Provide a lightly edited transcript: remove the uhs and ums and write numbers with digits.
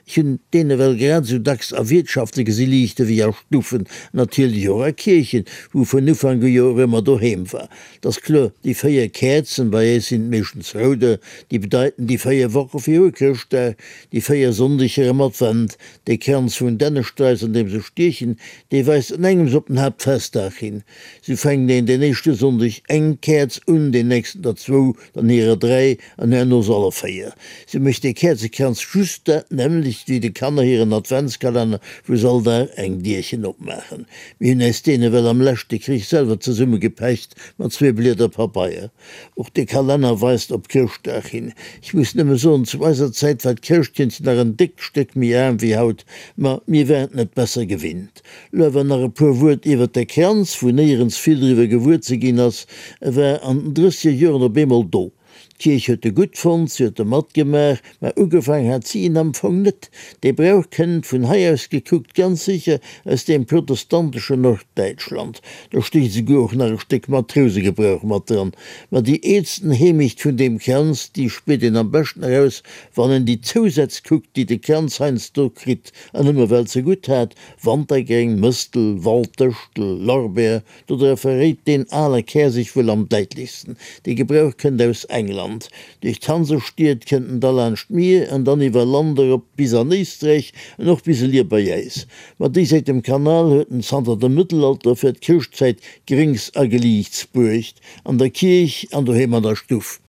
Ech hunn deen ewell grad esou dacks a Wiertschafte gesi liichte wéi a Stuffen, natierlech och a Kierchen, wou vun Ufank u jo och ëmmer doheem war. 't ass kloer, déi 4 Käerzen, bei äis sinn et meeschtens rouder, déi bedeiten déi 4 Woche viru Chrëschtdag, déi 4 Sonndeger am Advent. Dee Kranz vun Dännestrais, an deem se stiechen, dee weist an engems op den Haaptfestdag hin. Sou fänkt een deen éischte Sonndeg eng Käerz un, deen nächsten der zwou, dann hirer 3 an herno se aller 4. Sou mécht dee Käerzekranz just dat nämmlecht wéi de Kanner hiren Adventskalenner, wou se all Dag eng Dierchen opmaachen. Mir hunn äis deen ewell am leschte Krich selwer zesummegepecht mat zwee Blieder Pabeier. Och de Kalenner weist op Chrëschtdag hin. Ech muss nëmme soen, zu eiser Zäit war d'Chrëschtkindchen nach en déckt Stéck méi aarm wéi haut, ma mir waren et net besser gewinnt. Lo awer nach e puer Wuert iwwert de Kranz, wou néierens vill driwwer gewuer ze ginn ass. E war an den drësseger Joren op eemol do. D'Kierch huet e gutt fonnt, si huet e matgemaach, mä ugefaang hat si en am Fong net. Dee Brauch kënnt, vun hei aus gekuckt, ganz sécher aus deem protestanteschen Norddäitschland. Do stécht esouguer och nach e Stéck Matrousegebrauch mat dran. Ma déi eelsten Heemecht vun deem Kranz, déi spiert een am beschten eraus, wann een déi Zousätz kuckt, déi de Kranz heiansdo kritt an ëmmer well zegutt hat, Wantergréng, Mëstel, Walddëschtel, Lorbeer, Dodra verréit deen ale Kär sech wuel am däitlechsten. Dee Gebrauch kënnt aus England. Duerch d'Hansestied kënnt en da laanscht d'Mier an dann iwwer Land erop bis an Éisträich an och bis elier bei äis. Ma déi Säit dem Kanal huet en zanter dem Mëttelalter fir d'Chrëschtzäit Gréngs a Geliichts bruecht, an der Kierch an doheem an der Stuff.